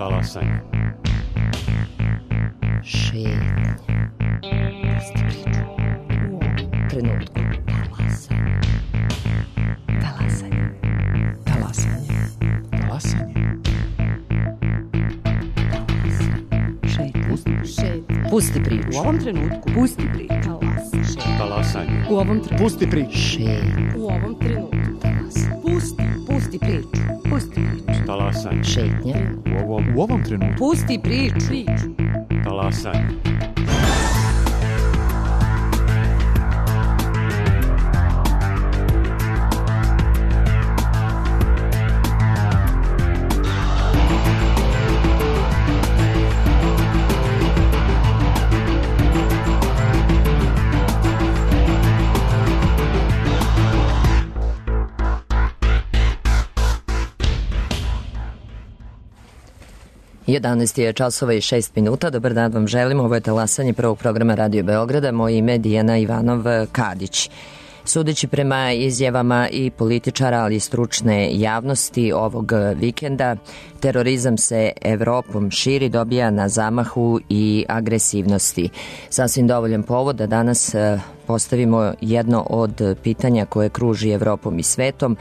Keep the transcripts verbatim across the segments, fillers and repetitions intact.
Talasanje. Šetnja. Pusti priču. U ovom trenutku. Talasanje. Talasanje. Talasanje. Talasanje. Šetnja. Pusti priču. Šetnja. Pusti priču. U ovom trenutku. Pusti priču. Talasanje. Talasanje. U ovom trenutku. Pusti priču. Šetnja. U ovom trenutku. Talasanje. Pusti. Pusti priču. Pusti priču. Talasanje. Šetnja. U ovom, U ovom trenutku. Pusti priču. Priču. talasanje. jedanaest je časova i šest minuta. Dobar dan vam želim. Ovo je talasanje prvog programa Radio Beograda. Moje ime je Dijana Ivanov-Kadić. Sudeći prema izjavama i političara, ali i stručne javnosti ovog vikenda, terorizam se Evropom širi, dobija na zamahu i agresivnosti. Sasvim dovoljan povod da danas postavimo jedno od pitanja koje kruži Evropom i svetom,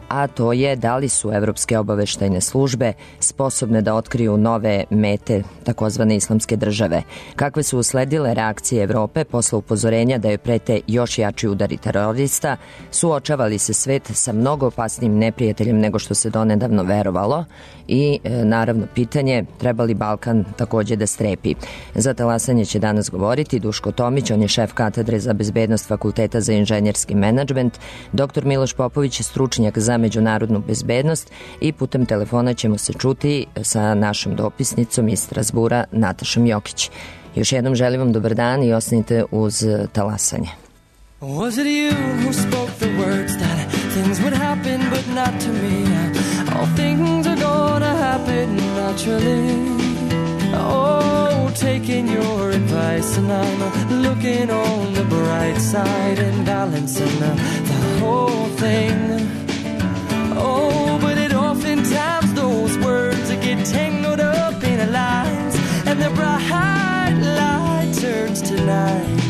a to je da li su evropske obaveštajne službe sposobne da otkriju nove mete takozvane islamske države. Kakve su usledile reakcije Evrope posle upozorenja da joj prete još jači udari terorista, suočavali se svet sa mnogo opasnijim neprijateljem nego što se donedavno verovalo i e, naravno pitanje treba li Balkan takođe da strepi. Za talasanje će danas govoriti Duško Tomić, on je šef katedre za bezbednost Fakulteta za inženjerski menadžment, doktor Miloš Popović je stručnjak za međunarodnu bezbednost i putem telefona ćemo se čuti sa našom dopisnicom iz Strasbura Natašom Jokić. Još jednom želim vam dobar dan i ostanite uz talasanje. Was it you who spoke the words that things would happen but not to me? All things are gonna happen naturally. Oh, taking your advice and I'm looking on the bright side and balancing the, the whole thing. Oh, but it oftentimes those words get tangled up in lines and the bright light turns to night.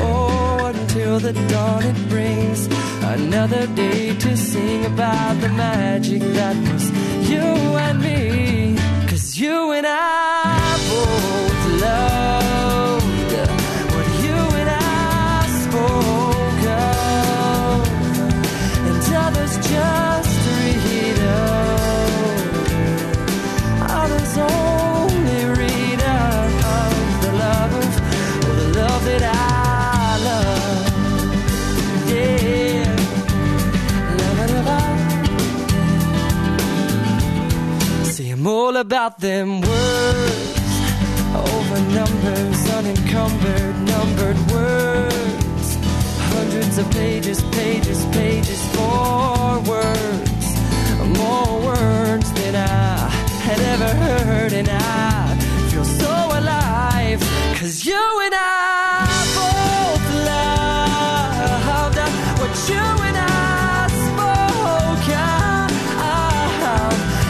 Oh, until the dawn it brings another day to sing about the magic that was you and me. 'Cause you and I both loved what you and I spoke of, and others just read of, others only read of, of the love of, well, the love that I love, yeah, love it about. See, I'm all about them words, over numbers, unencumbered, numbered words, hundreds of pages, pages, pages, more words, more words than I had ever heard, and I feel so alive, 'cause you and I both loved what you and I spoke of,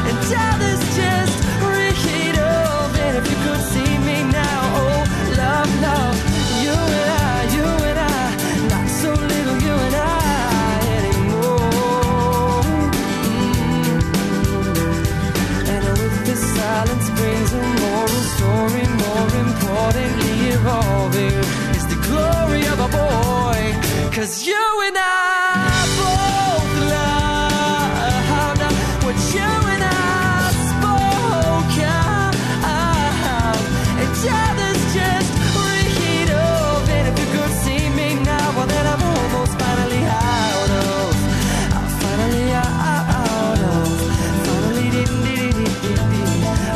and others just read of, and if you could see me now, oh, love, love, you and I, you and I, not so little you and I anymore. Mm-hmm. And with this silence brings a moral story, more importantly evolving is the glory of a boy, 'cause you and I both loved what you and I spoke of, and others just read of, and if you could see me now, well then I'm almost finally out of, I'm finally out of, finally did did did did did,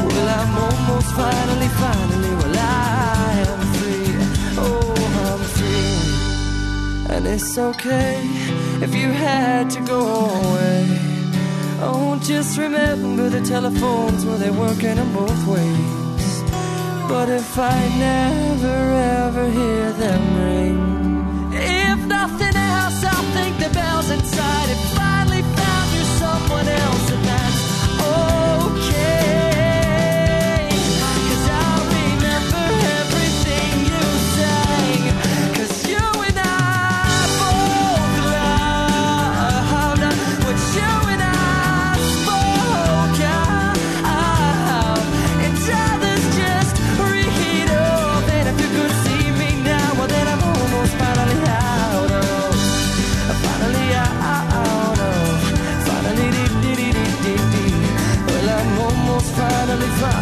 well I'm almost finally, finally, well I am free, oh I'm free, and it's okay if you had to go away. Oh, just remember the telephones, well, they're working in both ways. But if I never ever hear them ring, if nothing else, I'll think the bells inside have finally found you someone else, and that's okay.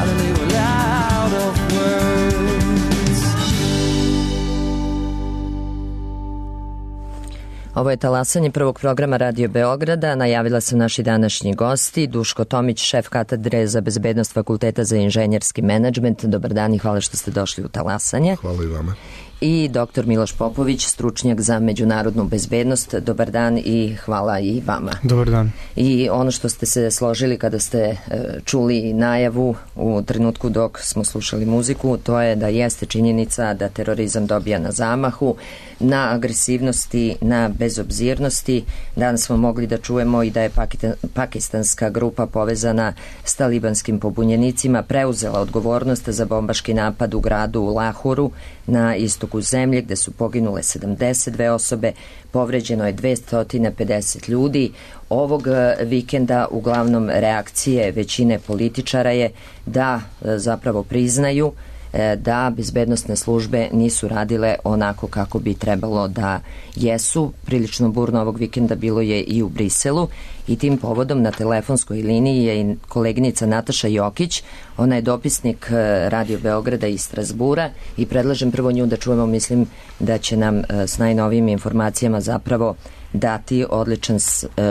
finally we're out of words. Ovo je talasanje prvog programa Radio Beograda. Najavila sam naši današnji gosti. Duško Tomić, šef katedre za bezbednost Fakulteta za inženjerski menadžment. Dobar dan i hvala što ste došli u talasanje. Hvala i vama. I doktor Miloš Popović, stručnjak za međunarodnu bezbednost. Dobar dan i hvala i vama. Dobar dan. I ono što ste se složili kada ste čuli najavu u trenutku dok smo slušali muziku, to je da jeste činjenica da terorizam dobija na zamahu, na agresivnosti, na bezobzirnosti. Danas smo mogli da čujemo i da je pakistanska grupa povezana s talibanskim pobunjenicima preuzela odgovornost za bombaški napad u gradu Lahuru na istoku zemlje gde su poginule sedamdeset dve osobe, povređeno je dvesta pedeset ljudi. Ovog vikenda uglavnom reakcije većine političara je da zapravo priznaju da bezbednosne službe nisu radile onako kako bi trebalo da jesu. Prilično burno ovog vikenda bilo je i u Briselu i tim povodom na telefonskoj liniji je i koleginica Nataša Jokić. Ona je dopisnik Radio Beograda iz Strasbura i predlažem prvo nju da čujemo, mislim da će nam s najnovijim informacijama zapravo dati odličan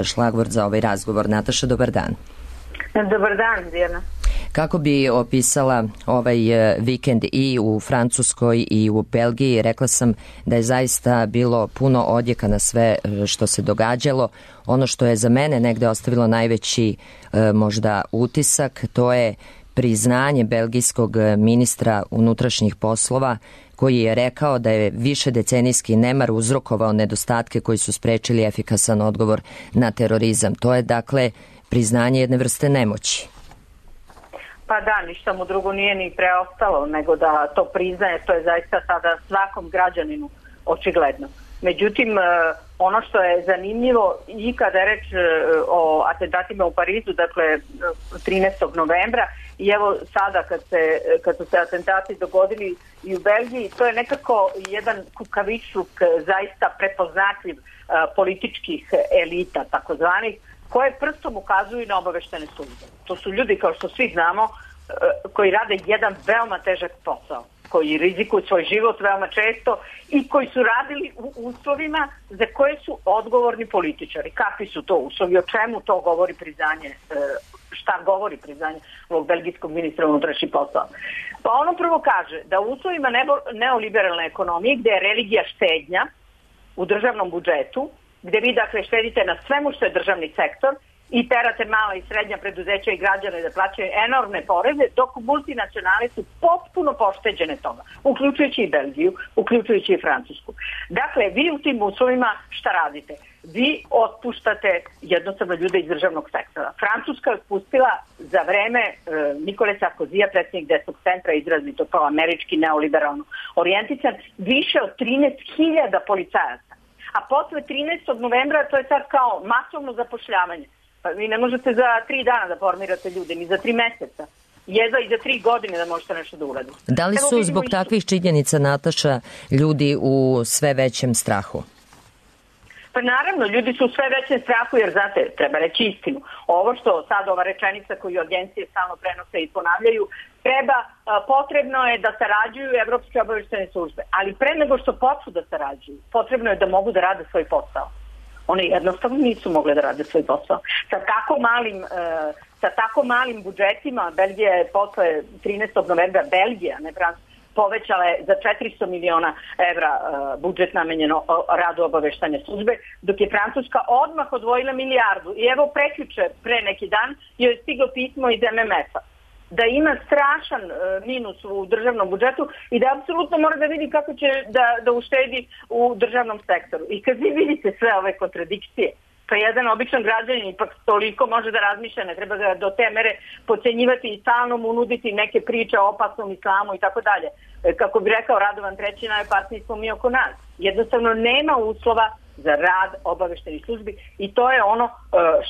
šlagvort za ovaj razgovor. Nataša, dobar dan. Dobar dan, Dijana. Kako bi opisala ovaj vikend i u Francuskoj i u Belgiji? Rekla sam da je zaista bilo puno odjeka na sve što se događalo. Ono što je za mene negde ostavilo najveći možda utisak, to je priznanje belgijskog ministra unutrašnjih poslova koji je rekao da je višedecenijski nemar uzrokovao nedostatke koji su sprečili efikasan odgovor na terorizam. To je dakle priznanje jedne vrste nemoći. Pa da, ništa mu drugo nije ni preostalo nego da to priznaje, to je zaista sada svakom građaninu očigledno. Međutim, ono što je zanimljivo i kada je reč o atentatima u Parizu, dakle trinaestog novembra, i evo sada kad, se, kad su se atentati dogodili i u Belgiji, to je nekako jedan kukavičluk zaista prepoznatljiv političkih elita, takozvanih, koje prstom ukazuju na obaveštene službe. To su ljudi, kao što svi znamo, koji rade jedan veoma težak posao, koji rizikuju svoj život veoma često i koji su radili u uslovima za koje su odgovorni političari. Kakvi su to uslovi, o čemu to govori priznanje, šta govori priznanje ovog belgijskog ministra unutrašnjih poslova? Pa ono prvo kaže da u uslovima neoliberalne ekonomije, gde je religija štednja u državnom budžetu, gde vi dakle štedite na svemu što je državni sektor i terate mala i srednja preduzeća i građane da plaćaju enormne poreze, dok multinacionale su potpuno pošteđene toga, uključujući i Belgiju, uključujući i Francusku. Dakle, vi u tim uslovima šta radite? Vi otpuštate jednostavno ljude iz državnog sektora. Francuska je otpustila za vreme e, Nikole Sarkozija, predsjednik desnog centra, izrazito kao američki neoliberalno orijentisan, više od trinaest hiljada policajaca. A posle trinaestog novembra to je sad kao masovno zapošljavanje. Pa vi ne možete za tri dana da formirate ljude, ni za tri meseca. Jedva i za tri godine da možete nešto da uradite. Da li su zbog isto takvih činjenica, Nataša, ljudi u sve većem strahu? Pa naravno, ljudi su u sve većem strahu jer, znate, treba reći istinu. Ovo što sad ova rečenica koju agencije stalno prenose i ponavljaju, treba, potrebno je da sarađuju evropske obaveštene službe. Ali pre nego što počnu da sarađuju, potrebno je da mogu da rade svoj posao. One jednostavno nisu mogle da rade svoj posao. Sa tako malim, sa tako malim budžetima, Belgija je posle trinaestog novembra, Belgija, ne Francuska, povećala je za četiristo miliona evra budžet namenjeno radu obaveštanja službe, dok je Francuska odmah odvojila milijardu. I evo prekjuče, pre neki dan, joj je stiglo pismo iz M M F-a da ima strašan minus u državnom budžetu i da apsolutno mora da vidi kako će da, da uštedi u državnom sektoru. I kad vi vidite sve ove kontradikcije, pa jedan običan građanin ipak toliko može da razmišlja, ne treba ga do te mere podcenjivati i stalno mu nuditi neke priče o opasnom islamu i tako dalje. Kako bi rekao Radovan Treći, najopasniji smo mi oko nas. Jednostavno nema uslova za rad obaveštenih službi i to je ono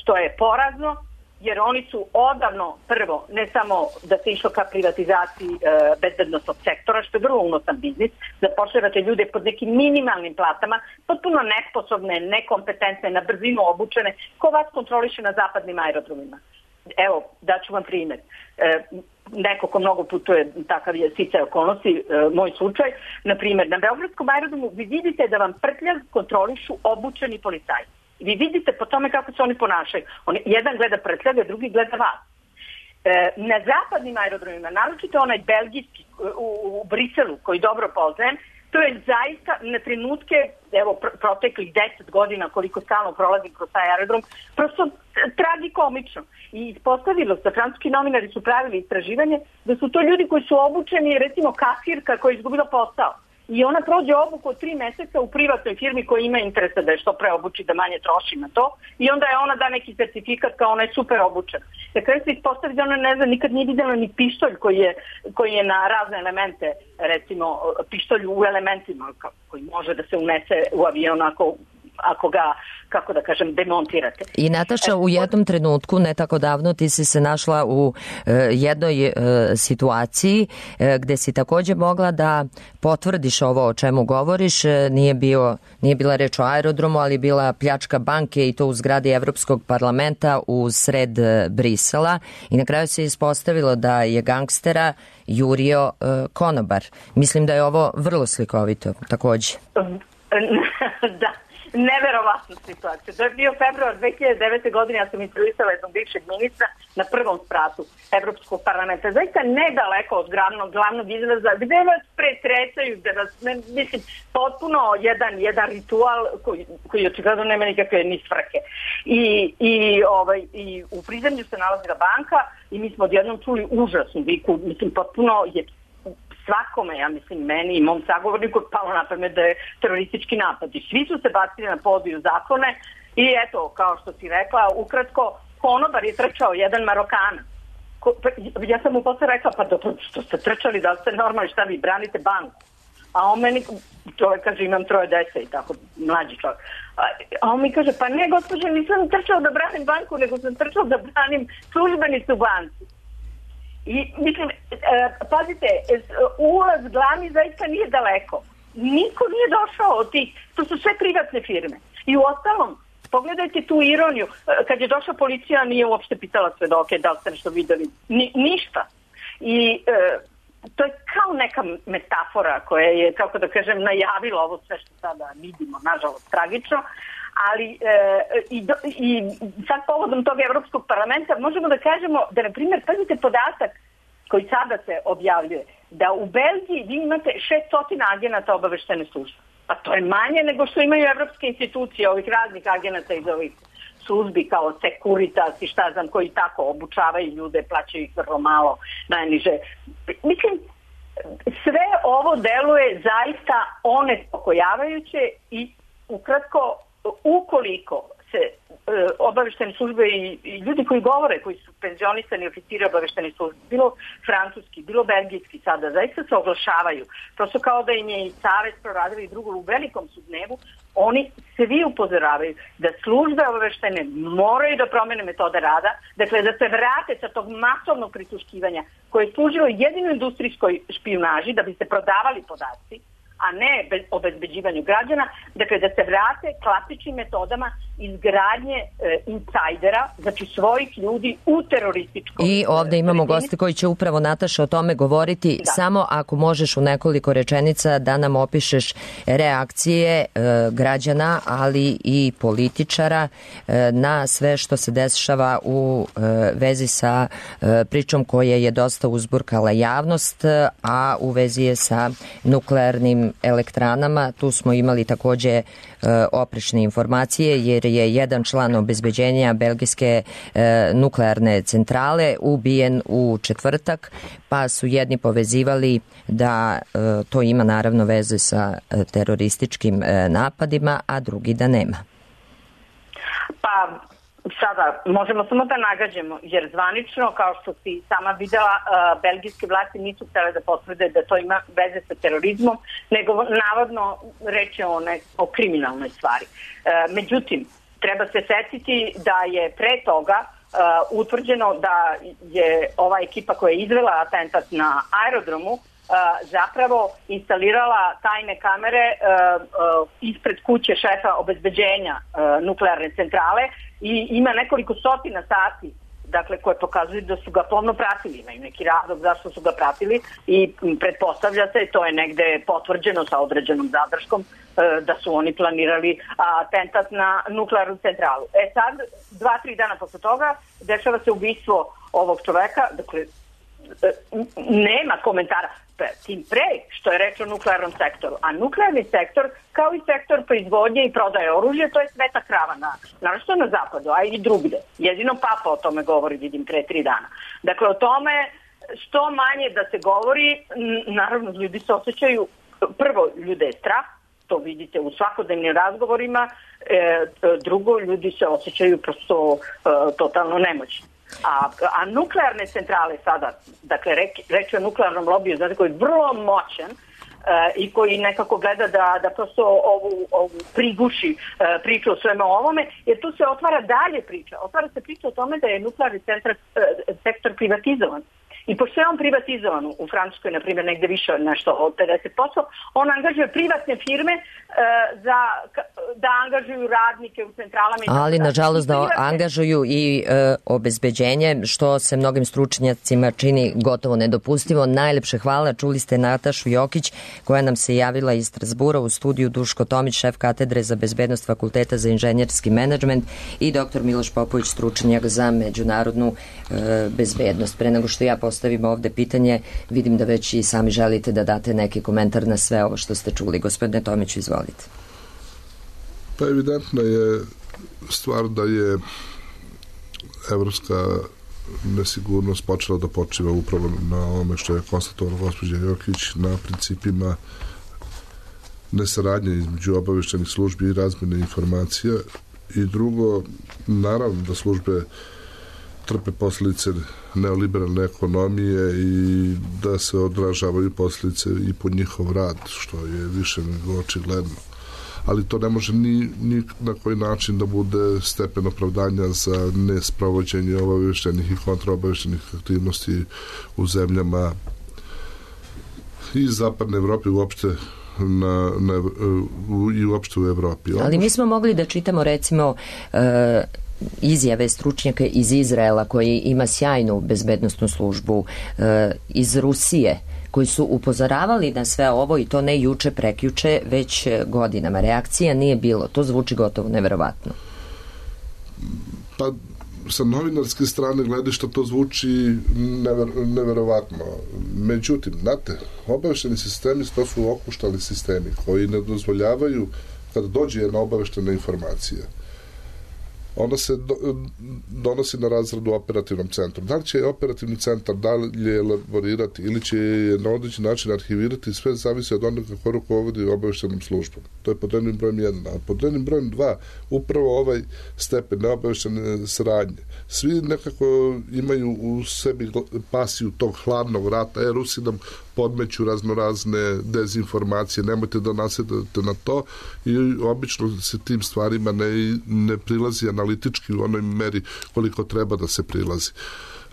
što je porazno, jer oni su odavno, prvo, ne samo da se išlo ka privatizaciji e, bezbednostnog sektora, što je vrlo unosan biznis, zapošljavate ljude pod nekim minimalnim platama, potpuno nesposobne, nekompetentne, na brzinu obučene, ko vas kontroliše na zapadnim aerodromima. evo, daću vam primjer. E, neko ko mnogo putuje, takav je sticaj okolnosti, e, moj slučaj, na primjer, na Beogradskom aerodromu vi vidite da vam prtljag kontrolišu obučeni policajci. Vi vidite po tome kako se oni ponašaju. On, jedan gleda prtljaga, drugi gleda vas. E, na zapadnim aerodromima, naročito onaj belgijski u, u Briselu, koji dobro poznajem, to je zaista na trenutke, evo, pr- proteklih deset godina koliko stalno prolazim kroz taj aerodrom, prosto tragikomično. I ispostavilo se, francuski novinari su pravili istraživanje, da su to ljudi koji su obučeni, recimo kasirka koja je izgubila posao. I ona prođe obuku od tri meseca u privatnoj firmi koja ima interesa da je što pre obuči, da manje troši na to. I onda je ona da neki certifikat kao ona je super obučena. Dakle, se ispostavi da ona ne zna, nikad nije vidjela ni pištolj koji je, koji je na razne elemente, recimo pištolj u elementima koji može da se unese u avion ako, ako ga, kako da kažem, demontirate. I Nataša, u jednom trenutku, ne tako davno, ti si se našla u e, jednoj e, situaciji e, gde si takođe mogla da potvrdiš ovo o čemu govoriš. E, nije, bio, nije bila reč o aerodromu, ali bila pljačka banke i to u zgradi Evropskog parlamenta u sred Brisela. I na kraju se ispostavilo da je gangstera jurio e, konobar. Mislim da je ovo vrlo slikovito takođe. Da. Neverovatna situacija. To je bio februar dve hiljade devete. godine, ja sam intervjuisala jednog bivšeg ministra na prvom spratu Evropskog parlamenta. Zaista nedaleko od glavnog, glavnog izraza, gde vas pretresaju, gde vas, ne, mislim, potpuno jedan, jedan ritual koji, koji očigledno nema nikakve ni svrhe. I, i, ovaj, i u prizemlju se nalazila banka i mi smo odjednom čuli užasnu viku, mislim, potpuno je svakome, ja mislim, meni i mom sagovorniku palo na pamet da je teroristički napad. I svi su se bacili na podiju zakone i eto, kao što si rekla, ukratko, konobar je trčao jedan Marokanac. Ja sam mu posle rekla, pa dobro, što ste trčali, da li ste normalni, šta vi branite banku? A on meni, čovjek kaže, imam troje dece i tako, mlađi čovjek. A on mi kaže, pa ne, gospođe, nisam trčao da branim banku, nego sam trčao da branim službenicu banci. I, mislim, e, pazite, ulaz glavni zaista nije daleko. Niko nije došao od tih, to su sve privatne firme. I u ostalom, pogledajte tu ironiju, kad je došla policija, nije uopšte pitala svedoke da li ste nešto videli. Ni, ništa. I e, to je kao neka metafora koja je, kako da kažem, najavila ovo sve što sada vidimo, nažalost, tragično. Ali e, i, do, i sad povodom tog Evropskog parlamenta možemo da kažemo da, na primjer, pazite podatak koji sada se objavljuje, da u Belgiji vi imate šessto agenata obaveštene službe. Pa to je manje nego što imaju evropske institucije, ovih raznih agenata iz ovih službi kao Securitas i šta znam, koji tako obučavaju ljude, plaćaju ih vrlo malo, najniže. Mislim, sve ovo deluje zaista onespokojavajuće i ukratko, ukoliko se e, obaveštene službe i, i ljudi koji govore, koji su penzionisani oficiri obaveštene službe, bilo francuski, bilo belgijski sada, zaista se oglašavaju. Prosto kao da im je i Savez proradili drugo u velikom su dnevu, oni svi upozoravaju da službe obaveštene moraju da promene metode rada, dakle da se vrate sa tog masovnog prisluškivanja koje je služilo jedino industrijskoj špijunaži da bi se prodavali podaci, a ne bez obezbeđivanju građana, dakle da se vrate klasičnim metodama izgradnje e, insajdera, znači svojih ljudi u terorističkom... I ovde imamo goste koji će upravo, Nataša, o tome govoriti. Da. Samo ako možeš u nekoliko rečenica da nam opišeš reakcije e, građana, ali i političara e, na sve što se dešava u e, vezi sa e, pričom koja je dosta uzburkala javnost, a u vezi je sa nuklearnim elektranama. Tu smo imali takođe e, oprečne informacije jer je jedan član obezbeđenja belgijske e, nuklearne centrale ubijen u četvrtak, pa su jedni povezivali da e, to ima naravno veze sa e, terorističkim e, napadima, a drugi da nema. Pa sada možemo samo da nagađamo, jer zvanično, kao što si sama videla, uh, belgijske vlasti nisu htjele da potvrde da to ima veze sa terorizmom, nego navodno reč je o, ne, o kriminalnoj stvari. Uh, međutim, treba se setiti da je pre toga uh, utvrđeno da je ova ekipa koja je izvela atentat na aerodromu uh, zapravo instalirala tajne kamere uh, uh, ispred kuće šefa obezbeđenja uh, nuklearne centrale i ima nekoliko stotina sati dakle, koje pokazuju da su ga pomno pratili, imaju neki razlog zašto su ga pratili i pretpostavlja se, to je negde potvrđeno sa određenom zadrškom, da su oni planirali atentat na nuklearnu centralu. E sad, dva, tri dana posle toga, dešava se ubistvo ovog čoveka, dakle, nema komentara, tim pre što je reč o nuklearnom sektoru. A nuklearni sektor, kao i sektor proizvodnje i prodaje oružja, to je sveta krava, na, naravno na zapadu, a i drugde. Jedino Papa o tome govori, vidim, pre tri dana. Dakle, o tome što manje da se govori, naravno, ljudi se osjećaju, prvo, ljude je strah, to vidite u svakodnevnim razgovorima, e, drugo, ljudi se osjećaju prosto e, totalno nemoćni. A, a nuklearne centrale sada, dakle reč o nuklearnom lobiju, znate, koji je vrlo moćan e, i koji nekako gleda da, da prosto ovu, ovu priguši e, priču o sveme ovome, jer tu se otvara dalje priča. Otvara se priča o tome da je nuklearni centar, e, sektor privatizovan. I pošto je on privatizovan u Francuskoj, na primjer, negde više nešto od pedeset posto, on angažuje privatne firme e, za, da angažuju radnike u centralama. Ali, nažalost, da angažuju i e, obezbeđenje, što se mnogim stručnjacima čini gotovo nedopustivo. Najlepše hvala. Čuli ste Natašu Jokić, koja nam se javila iz Strasbura, u studiju Duško Tomić, šef katedre za bezbednost Fakulteta za inženjerski menadžment, i doktor Miloš Popović, stručnjak za međunarodnu e, bezbednost. Pre nego što ja postavim ovde pitanje, vidim da već i sami želite da date neki komentar na sve ovo što ste čuli. Gospodine Tomiću, izvolite. Pa evidentna je stvar da je evropska nesigurnost počela da počiva upravo na ovome što je konstatovala gospođa Jokić, na principima nesaradnje između obaveštenih službi i razmjene informacija. I drugo, naravno da službe trpe posljedice neoliberalne ekonomije i da se odražavaju posljedice i po njihov rad, što je više nego očigledno. Ali to ne može ni, ni na koji način da bude stepen opravdanja za nesprovođenje obaveštenih i kontraobaveštenih aktivnosti u zemljama i zapadne Evrope uopšte na, na, u, i uopšte u Evropi. Ali mi smo mogli da čitamo, recimo, e, izjave stručnjaka iz Izraela, koji ima sjajnu bezbednosnu službu, e, iz Rusije, koji su upozoravali na sve ovo, i to ne juče, prekjuče, već godinama. Reakcija nije bilo. To zvuči gotovo neverovatno. Pa, sa novinarske strane gledišta to zvuči never, neverovatno. Međutim, znate, obavešteni sistemi, to su okuštali sistemi koji ne dozvoljavaju, kada dođe jedna obaveštena informacija, ona se do, donosi na razradu operativnom centru. Da li će operativni centar dalje elaborirati ili će je na određen način arhivirati, sve zavisi od onoga kako rukovodi obaveštenom službom. To je pod jednim brojem jedan. A pod jednim brojem dva, upravo ovaj stepen neobaveštene saradnje. Svi nekako imaju u sebi pasiju tog hladnog rata. E, Rusi nam podmeću raznorazne dezinformacije, nemojte da nasedate na to, i obično se tim stvarima ne, ne prilazi analitički u onoj meri koliko treba da se prilazi.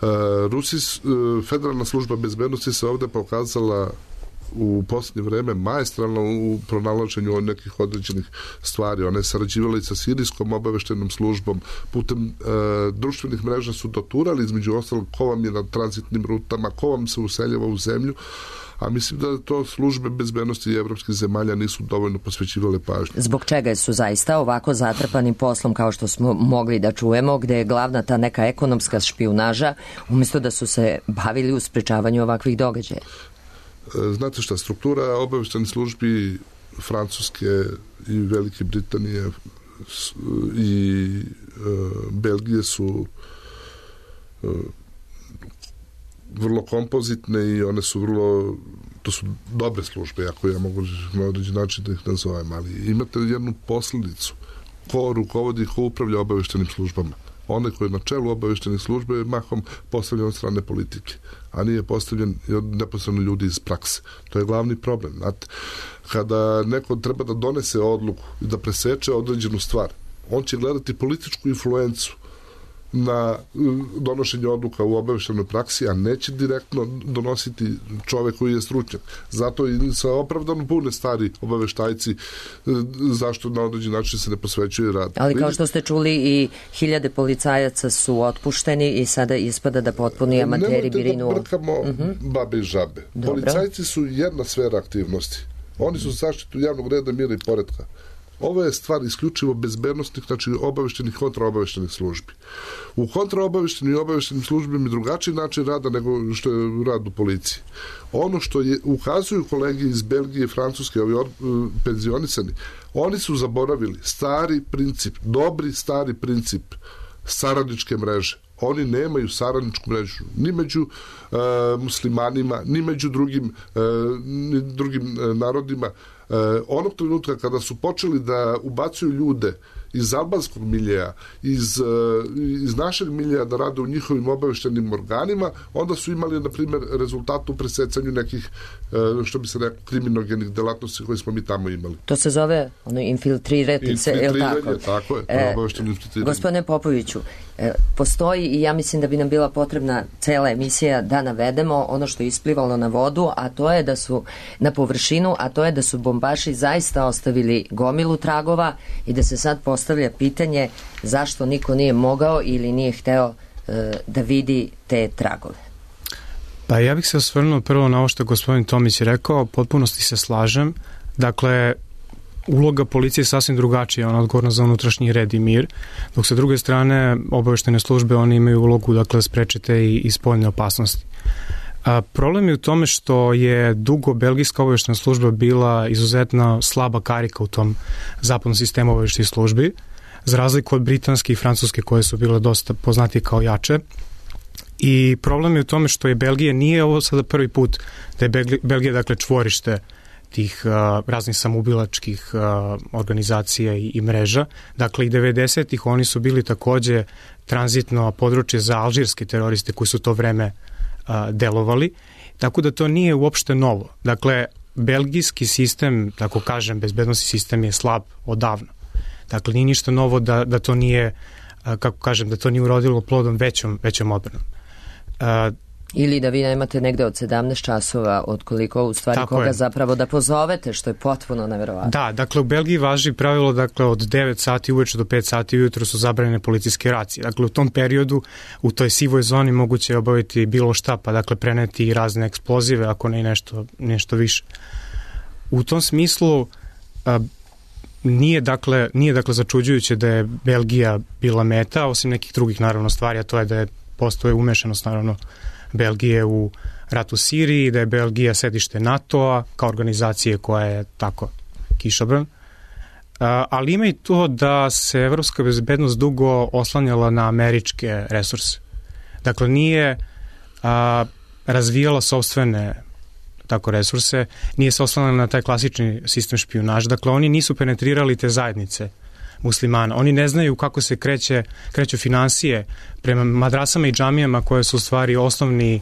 Uh, Rusi, uh, Federalna služba bezbednosti se ovde pokazala u posljednje vreme maestralno u pronalaženju nekih određenih stvari. One sarađivali sa sirijskom obaveštenom službom, putem e, društvenih mreža su doturali, između ostalog, ko vam je na tranzitnim rutama, ko vam se useljava u zemlju, a mislim da to službe bezbednosti evropskih zemalja nisu dovoljno posvećivale pažnju. Zbog čega su zaista ovako zatrpanim poslom, kao što smo mogli da čujemo, gde je glavna ta neka ekonomska špijunaža, umjesto da su se bavili u sprečavanju ovakvih događaja? Znate šta, struktura obaveštenih službi Francuske i Velike Britanije i e, Belgije su e, vrlo kompozitne i one su vrlo, to su dobre službe, ako ja mogu na određen način da ih nazovem, ali imate jednu posledicu. Ko rukovodi, ko upravlja obaveštenim službama? Onaj koji je na čelu obaveštenih službe je mahom postavljen od strane politike, a nije postavljen od neposredno ljudi iz prakse. To je glavni problem. Znate, kada neko treba da donese odluku i da preseče određenu stvar, on će gledati političku influencu na donošenje odluka u obaveštenoj praksi, a neće direktno donositi čovek koji je stručnjak. Zato i sa opravdano pune stari obaveštajci zašto na određen način se ne posvećuje rad. Ali kao što ste čuli, i hiljade policajaca su otpušteni i sada ispada da potpuni amateri birinu. Nemojte da brkamo uh-huh. babe i žabe. Dobro. Policajci su jedna sfera aktivnosti. Oni su zaštitu javnog reda, mira i poretka. Ovo je stvar isključivo bezbednostnih, znači obaveštenih, kontraobaveštenih službi. U kontraobaveštenim i obaveštenim službama je drugačiji način rada nego što je rad u policiji. Ono što je, ukazuju kolege iz Belgije i Francuske, ovi od, penzionisani, oni su zaboravili stari princip, dobri stari princip saradničke mreže. Oni nemaju saradničku mrežu ni među e, muslimanima, ni među drugim, e, ni drugim e, narodima. E, onog trenutka kada su počeli da ubacuju ljude iz albanskog miljeja, iz, iz našeg miljeja da rade u njihovim obaveštenim organima, onda su imali, na primjer, rezultat u presecanju nekih, što bi se rekao, kriminogenih delatnosti koje smo mi tamo imali. To se zove ono, infiltrirati se, je li tako? Tako je, e, obavešteno infiltriranje. Gospodine Popoviću, e, postoji, i ja mislim da bi nam bila potrebna cela emisija da navedemo ono što je isplivalo na vodu, a to je da su na površinu, a to je da su bombaši zaista ostavili gomilu tragova i da se sad postavlja pitanje zašto niko nije mogao ili nije hteo e, da vidi te tragove. Pa ja bih se osvrnuo prvo na ovo što je gospodin Tomić rekao, potpunosti se slažem. Dakle, uloga policije je sasvim drugačija, ona odgovorna za unutrašnji red i mir, dok sa druge strane obaveštene službe, oni imaju ulogu, dakle, sprečite i, i spoljne opasnosti. A, problem je u tome što je dugo belgijska obaveštena služba bila izuzetno slaba karika u tom zapadnom sistemu obaveštenih službi, za razliku od britanske i francuske koje su bile dosta poznatije kao jače. I problem je u tome što je Belgija, nije ovo sada prvi put da je Belgija, Belgija dakle, čvorište tih uh, raznih samoubilačkih uh, organizacija i, i mreža. Dakle, i devedesetih oni su bili takođe tranzitno područje za alžirske teroriste koji su to vreme uh, delovali. Tako da to nije uopšte novo. Dakle, belgijski sistem, tako kažem, bezbednosni sistem je slab odavno. Dakle, nije ništa novo da, da to nije, uh, kako kažem, da to nije urodilo plodom većom, većom odbranom. Uh, Ili da vi nemate negde od sedamnaest časova od koliko u stvari koga je. Zapravo da pozovete, što je potpuno neverovatno. Da, dakle u Belgiji važi pravilo, dakle od devet sati uveče do pet sati ujutro su zabranjene policijske racije. Dakle u tom periodu u toj sivoj zoni moguće je obaviti bilo šta, pa dakle preneti i razne eksplozive, ako ne i nešto, nešto više. U tom smislu a, nije dakle, nije dakle začuđujuće da je Belgija bila meta, osim nekih drugih naravno stvari, a to je da je postoje umešanost naravno Belgije u ratu u Siriji, da je Belgija sedište NATO-a kao organizacije koja je tako kišobran. Ali ima i to da se evropska bezbednost dugo oslanjala na američke resurse. Dakle, nije a, razvijala sopstvene tako resurse, nije se oslanjala na taj klasični sistem špijunaža. Dakle, oni nisu penetrirali te zajednice muslimana. Oni ne znaju kako se kreće, kreću finansije prema madrasama i džamijama koje su u stvari osnovni, e,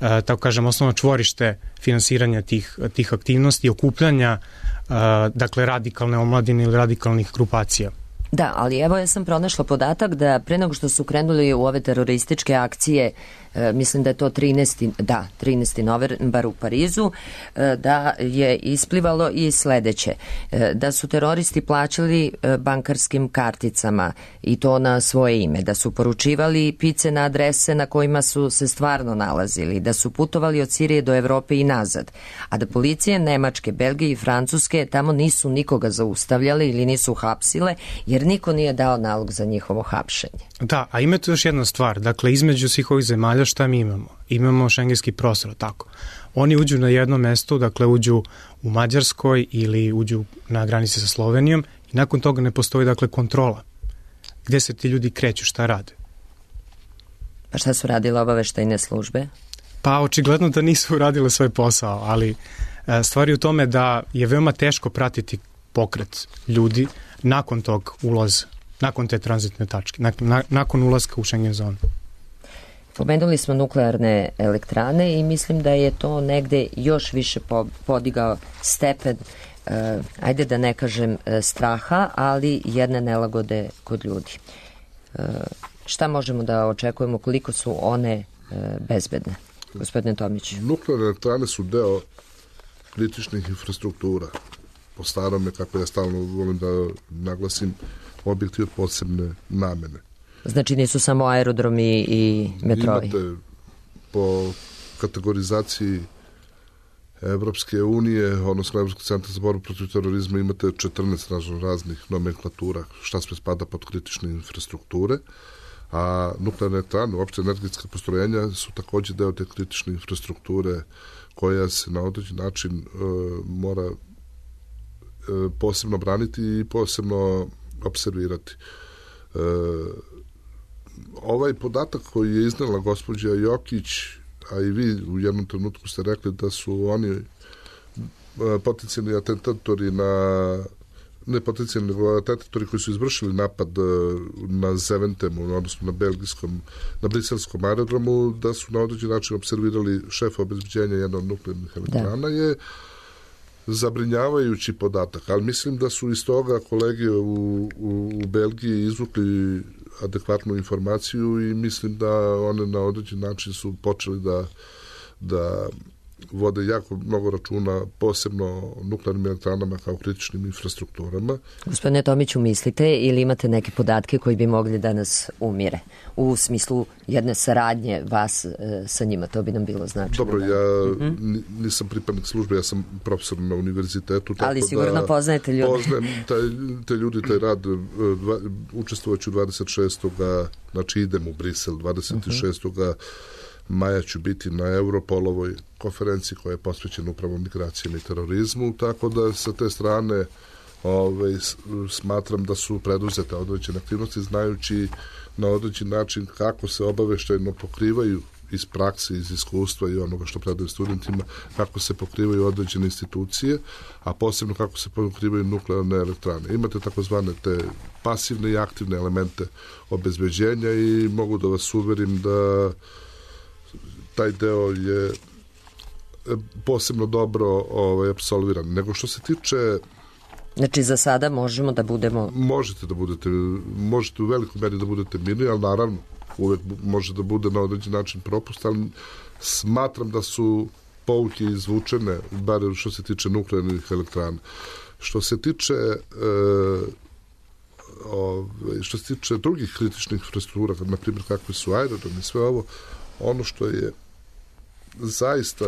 tako kažem, osnovno čvorište finansiranja tih, tih aktivnosti i okupljanja e, dakle radikalne omladine ili radikalnih grupacija. Da, ali evo ja sam pronašla podatak da pre nego što su krenuli u ove terorističke akcije, e, mislim da je to trinaesti da, trinaesti novembar u Parizu, e, da je isplivalo i sledeće, e, da su teroristi plaćali e, bankarskim karticama i to na svoje ime, da su poručivali pice na adrese na kojima su se stvarno nalazili, da su putovali od Sirije do Evrope i nazad, a da policije Nemačke, Belgije i Francuske tamo nisu nikoga zaustavljali ili nisu hapsile, jer niko nije dao nalog za njihovo hapšenje. Da, a ima tu još jedna stvar. Dakle, između svih ovih zemalja šta mi imamo? Imamo šengenski prostor, tako. Oni uđu na jedno mesto, dakle uđu u Mađarskoj ili uđu na granici sa Slovenijom i nakon toga ne postoji, dakle, kontrola. Gde se ti ljudi kreću, šta rade? Pa šta su radile obaveštajne službe? Pa očigledno da nisu uradile svoj posao, ali stvar je u tome da je veoma teško pratiti pokret ljudi nakon tog ulaza, nakon te tranzitne tačke, nakon, nakon ulaska u Schengen zonu. Pomenuli smo nuklearne elektrane i mislim da je to negde još više podigao stepen, uh, ajde da ne kažem uh, straha, ali jedne nelagode kod ljudi. šta možemo da očekujemo, koliko su one bezbedne? Gospodine Tomić. Nuklearne elektrane su deo kritičnih infrastruktura. Po starome, kako ja stalno volim da naglasim, objekti od posebne namene. Znači nisu samo aerodromi i metrovi? Imate po kategorizaciji Evropske unije, odnosno Evropskog centra za borbu protiv terorizma, imate četrnaest raznih nomenklatura šta sve spada pod kritične infrastrukture, a nuklearne elektrane, uopšte energetska postrojenja su takođe deo te kritične infrastrukture koja se na određen način e, mora e, posebno braniti i posebno observirati. E, ovaj podatak koji je iznela gospođa Jokić, a i vi u jednom trenutku ste rekli da su oni potencijalni atentatori na ne potencijalni, nego atentatori koji su izvršili napad na Zeventemu, odnosno na belgijskom, na briselskom aerodromu, da su na određen način observirali šefa obezbeđenja jedne od nuklearnih elektrana, je zabrinjavajući podatak, ali mislim da su iz toga kolege u, u, u Belgiji izvukli adekvatnu informaciju i mislim da one na određen način su počeli da, da vode jako mnogo računa, posebno o nuklearnim elektranama kao kritičnim infrastrukturama. Gospodine Tomiću, mislite ili imate neke podatke koji bi mogli da nas umire? U smislu jedne saradnje vas e, sa njima, to bi nam bilo značajno. Dobro, ja mm-hmm. nisam pripadnik službe, ja sam profesor na univerzitetu. Ali sigurno da poznajete ljudi. Poznajem taj, te ljudi, taj rad, dva, učestvovaću dvadeset šestog znači idem u Brisel, dvadeset šestog Mm-hmm. maja ću biti na Europolovoj konferenciji koja je posvećena upravo migracijama i terorizmu, tako da sa te strane ovaj, smatram da su preduzete određene aktivnosti, znajući na određen način kako se obaveštajno pokrivaju iz prakse, iz iskustva i onoga što predaju studentima, kako se pokrivaju određene institucije, a posebno kako se pokrivaju nuklearne elektrane. Imate takozvane te pasivne i aktivne elemente obezbeđenja i mogu da vas uverim da taj deo je posebno dobro ovaj, apsolviran. Nego što se tiče... Znači za sada možemo da budemo... Možete da budete, možete u velikoj meri da budete mirni, ali naravno uvek može da bude na određen način propust, ali smatram da su pouke izvučene, bar što se tiče nuklearnih elektrana. Što se tiče e, ove, što se tiče drugih kritičnih infrastruktura, na primjer kakve su aerodromi i sve ovo, ono što je zaista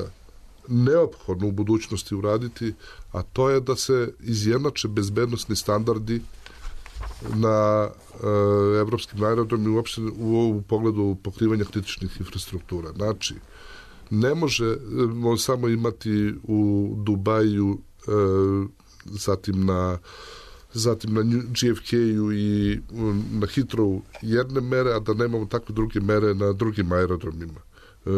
neophodno u budućnosti uraditi, a to je da se izjednače bezbednosni standardi na e, evropskim aerodromima uopšte u, u pogledu pokrivanja kritičnih infrastruktura. Znači, ne može samo imati u Dubaju, e, zatim na zatim na J F K-u i na Heathrowu jedne mere, a da nemamo takve druge mere na drugim aerodromima. E,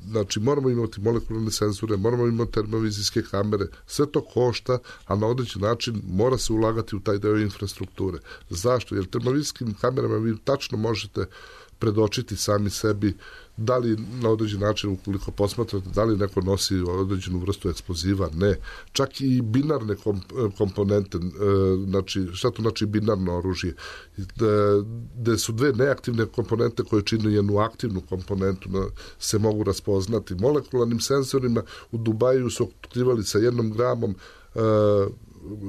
znači, moramo imati molekularne senzore, moramo imati termovizijske kamere, sve to košta, a na određen način mora se ulagati u taj deo infrastrukture. Zašto? Jer termovizijskim kamerama vi tačno možete predočiti sami sebi da li na određen način, ukoliko posmatrate, da li neko nosi određenu vrstu eksploziva, ne. Čak i binarne komponente, znači, šta to znači binarno oružje? Gde su dve neaktivne komponente koje čine jednu aktivnu komponentu, se mogu raspoznati. Molekularnim senzorima u Dubaju su otkrivali sa jednom gramom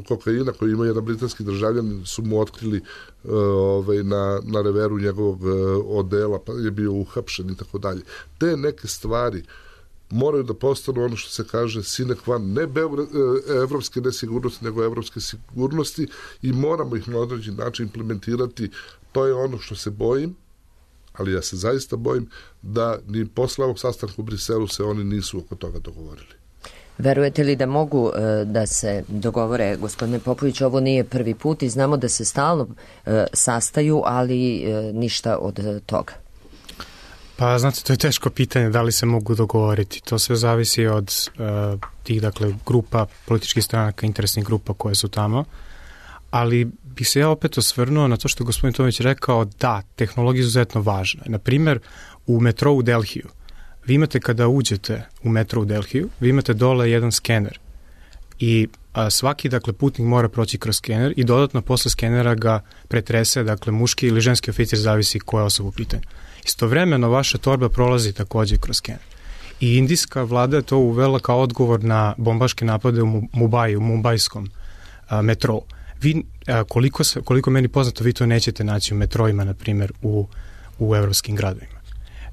kokaina koji ima jedan britanski državljan, su mu otkrili uh, ovaj, na, na reveru njegovog uh, odela, pa je bio uhapšen i tako dalje. Te neke stvari moraju da postanu ono što se kaže sine qua ne beogr- evropske nesigurnosti, nego evropske sigurnosti i moramo ih na određen način implementirati. To je ono što se bojim, ali ja se zaista bojim da ni posle ovog sastanka u Briselu se oni nisu oko toga dogovorili. Verujete li da mogu e, da se dogovore, gospodine Popović, ovo nije prvi put i znamo da se stalno e, sastaju, ali e, ništa od toga? Pa, znate, to je teško pitanje da li se mogu dogovoriti. To sve zavisi od e, tih, dakle, grupa, političkih stranaka, interesnih grupa koje su tamo, ali bih se ja opet osvrnuo na to što je gospodin Tomić rekao, da, tehnologija je izuzetno važna. Naprimjer, u metrou u Delhiju, vi imate kada uđete u metro u Delhiju, vi imate dole jedan skener i a, svaki dakle putnik mora proći kroz skener i dodatno posle skenera ga pretrese, dakle muški ili ženski oficir, zavisi koja osoba u pitanju. Istovremeno vaša torba prolazi takođe kroz skener. I indijska vlada je to uvela kao odgovor na bombaške napade u Mumbai, u mumbajskom a, metrou. Vi, a, koliko, se, koliko meni poznato, vi to nećete naći u metrojima, na primjer, u, u evropskim gradovima.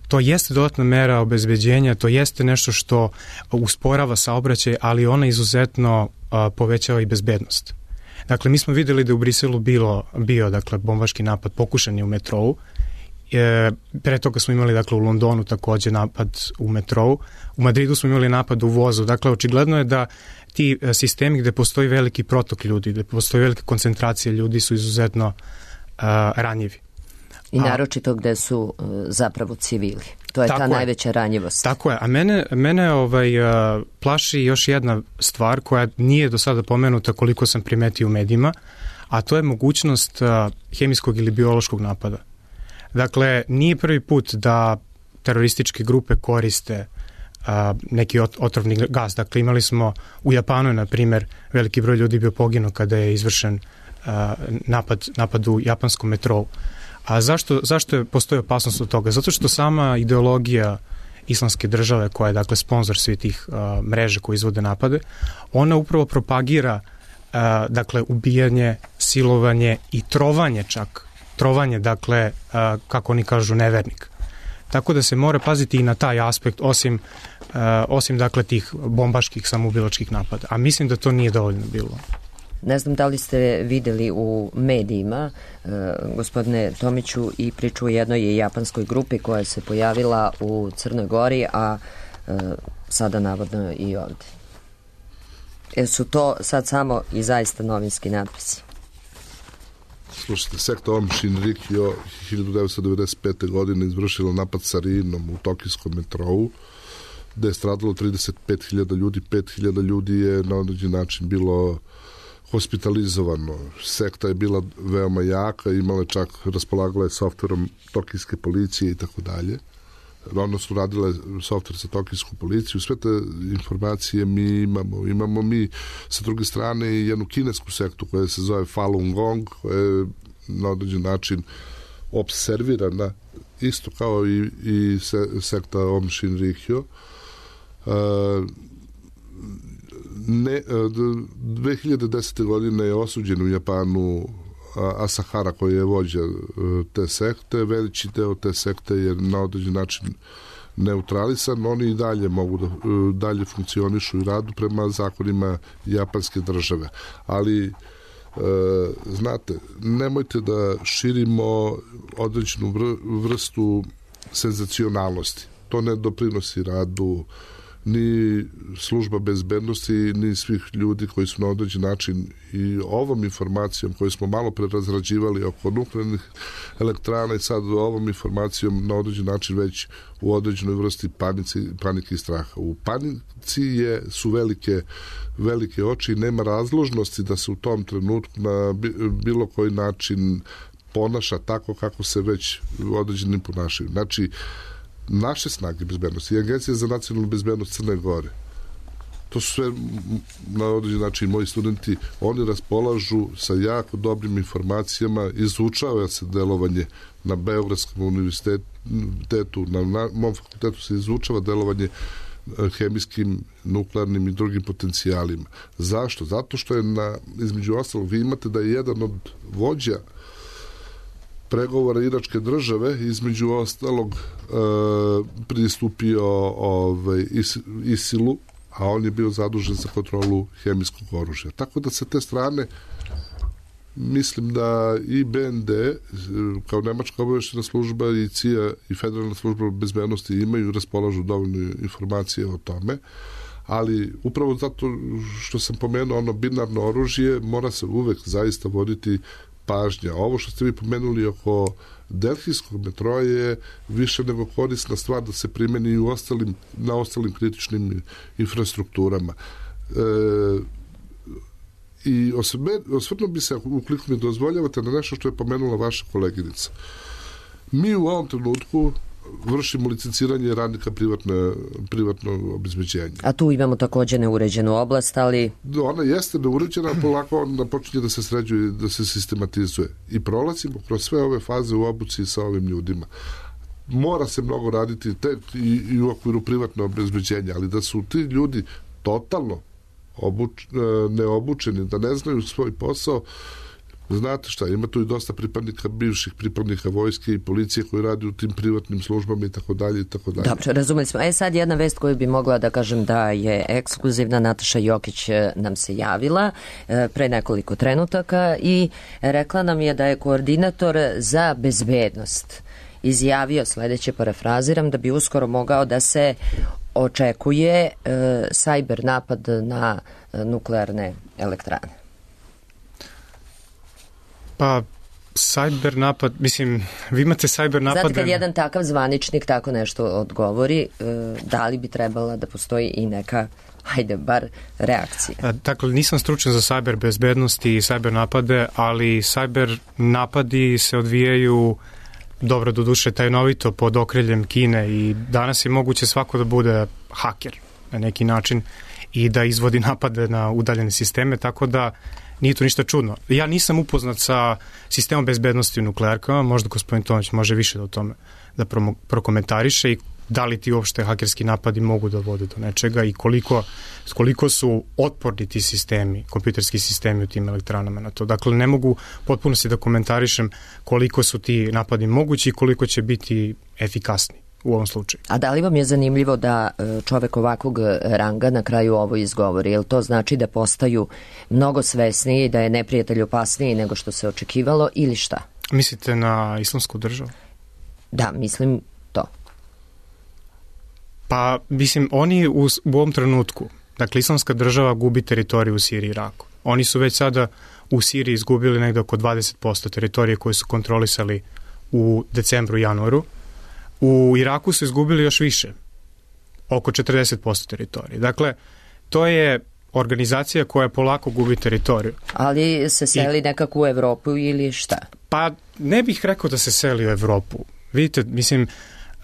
To jeste dodatna mera obezbeđenja, to jeste nešto što usporava saobraćaj, ali ona izuzetno a, povećava i bezbednost. Dakle, mi smo videli da u Briselu bilo, bio dakle, bombaški napad, pokušan je u metrou. E, pre toga smo imali dakle, u Londonu takođe napad u metrou. U Madridu smo imali napad u vozu. Dakle, očigledno je da ti sistemi gde postoji veliki protok ljudi, gde postoji velika koncentracija ljudi su izuzetno a, ranjivi. I naročito gde su uh, zapravo civili. To je ta je. najveća ranjivost. Tako je. A mene, mene ovaj, uh, plaši još jedna stvar koja nije do sada pomenuta koliko sam primetio u medijima, a to je mogućnost uh, hemijskog ili biološkog napada. Dakle, nije prvi put da terorističke grupe koriste uh, neki ot, otrovni gas. Dakle, imali smo u Japanu, na primjer, veliki broj ljudi bio poginuo kada je izvršen uh, napad, napad u japanskom metrou. A zašto, zašto je postoji opasnost od toga? Zato što sama ideologija islamske države, koja je dakle sponsor svih tih uh, mreža koji izvode napade, ona upravo propagira uh, dakle ubijanje, silovanje i trovanje čak. Trovanje, dakle, uh, kako oni kažu, nevernik. Tako da se mora paziti i na taj aspekt, osim, uh, osim dakle tih bombaških samoubilačkih napada. A mislim da to nije dovoljno bilo. Ne znam da li ste videli u medijima, e, gospodine Tomiću, i priču o jednoj japanskoj grupi koja se pojavila u Crnoj Gori, a e, sada navodno i ovde. E, su to sad samo i zaista novinski natpisi? Slušajte, sekta Om Shinrikyo hiljadu devetsto devedeset pete. godine izvršila napad sarinom u tokijskom metrou, gde je stradalo trideset pet hiljada ljudi, pet hiljada ljudi je na određen način bilo hospitalizovano. Sekta je bila veoma jaka, imala čak, raspolagala je softverom tokijske policije i tako dalje. Odnosno, radila je softver za tokijsku policiju. Sve te informacije mi imamo. Imamo mi, sa druge strane, i jednu kinesku sektu koja se zove Falun Gong, koja je na određen način observirana, isto kao i, i se, sekta Om Shinrikyo. Uh, Ne, dve hiljade desete. godine je osuđen u Japanu Asahara, koji je vođa te sekte. Veliči deo te sekte je na određen način neutralisan. Oni i dalje mogu da dalje funkcionišu i radu prema zakonima japanske države. Ali e, znate, nemojte da širimo određenu vrstu senzacionalnosti. To ne doprinosi radu ni služba bezbednosti, ni svih ljudi koji su na određen način i ovom informacijom koju smo malo pre razrađivali oko nuklearnih elektrana i sad ovom informacijom na određen način već u određenoj vrsti panici, panike i straha. U panici je, su velike, velike oči i nema razložnosti da se u tom trenutku na bilo koji način ponaša tako kako se već određenim ponašaju. Znači, naše snage bezbednosti i Agencija za nacionalnu bezbednost Crne Gore, to su sve na određen način moji studenti, oni raspolažu sa jako dobrim informacijama, izučava se delovanje na Beogradskom univerzitetu, na, na mom fakultetu se izučava delovanje hemijskim, nuklearnim i drugim potencijalima. Zašto? Zato što je na, između ostalog, vi imate da je jedan od vođa pregovora iračke države, između ostalog, e, pristupio ovaj, is, ISIL-u, a on je bio zadužen za kontrolu hemijskog oružja. Tako da sa te strane mislim da i B N D, kao nemačka obaveštajna služba, i C I A i Federalna služba bezbednosti imaju, raspolažu dovoljno informacije o tome, ali upravo zato što sam pomenuo ono binarno oružje, mora se uvek zaista voditi pažnja. Ovo što ste vi pomenuli oko delhijskog metroa je više nego korisna stvar da se primeni u ostalim, na ostalim kritičnim infrastrukturama. E, I osvrnuo bi se, ukoliko mi dozvoljavate, na nešto što je pomenula vaša koleginica. Mi u ovom trenutku vršimo licenciranje radnika privatne, privatnog obezbeđenja. A tu imamo takođe neuređenu oblast, ali... Ona jeste neuređena, polako ona počinje da se sređuje i da se sistematizuje. I prolazimo kroz sve ove faze u obuci sa ovim ljudima. Mora se mnogo raditi te, i, i u okviru privatnog obezbeđenja, ali da su ti ljudi totalno obuč, neobučeni, da ne znaju svoj posao. Znate šta, ima tu i dosta pripadnika, bivših pripadnika vojske i policije koji radi u tim privatnim službama i tako dalje i tako dalje. Dobro, razumeli smo. E sad jedna vest koju bi mogla da kažem da je ekskluzivna. Nataša Jokić nam se javila pre nekoliko trenutaka i rekla nam je da je koordinator za bezbednost izjavio sledeće, parafraziram, da bi uskoro mogao da se očekuje e, sajber napad na nuklearne elektrane. Pa, sajber napad, mislim, vi imate sajber napad... Znate, kad jedan takav zvaničnik tako nešto odgovori, e, da li bi trebala da postoji i neka, hajde, bar reakcija? Dakle, nisam stručan za sajber bezbednosti i sajber napade, ali sajber napadi se odvijaju dobro, do duše, tajnovito pod okriljem Kine i danas je moguće svako da bude haker na neki način i da izvodi napade na udaljene sisteme, tako da nije to ništa čudno. Ja nisam upoznat sa sistemom bezbednosti u nuklearkama, možda gospodin Tomić može više da o tome da prokomentariše i da li ti uopšte hakerski napadi mogu da vode do nečega i koliko, koliko su otporni ti sistemi, kompjuterski sistemi u tim elektranama na to. Dakle, ne mogu potpuno si da komentarišem koliko su ti napadi mogući i koliko će biti efikasni u ovom slučaju. A da li vam je zanimljivo da čovek ovakvog ranga na kraju ovo izgovori? Jel to znači da postaju mnogo svesniji, da je neprijatelj opasniji nego što se očekivalo ili šta? Mislite na Islamsku državu? Da, mislim to. Pa, mislim, oni u, u ovom trenutku, dakle, Islamska država gubi teritoriju u Siriji i Iraku. Oni su već sada u Siriji izgubili negde oko dvadeset posto teritorije koje su kontrolisali u decembru i januaru. U Iraku su izgubili još više, oko četrdeset posto teritorije. Dakle, to je organizacija koja polako gubi teritoriju. Ali se seli I, nekako u Evropu ili šta? Pa, ne bih rekao da se seli u Evropu. Vidite, mislim,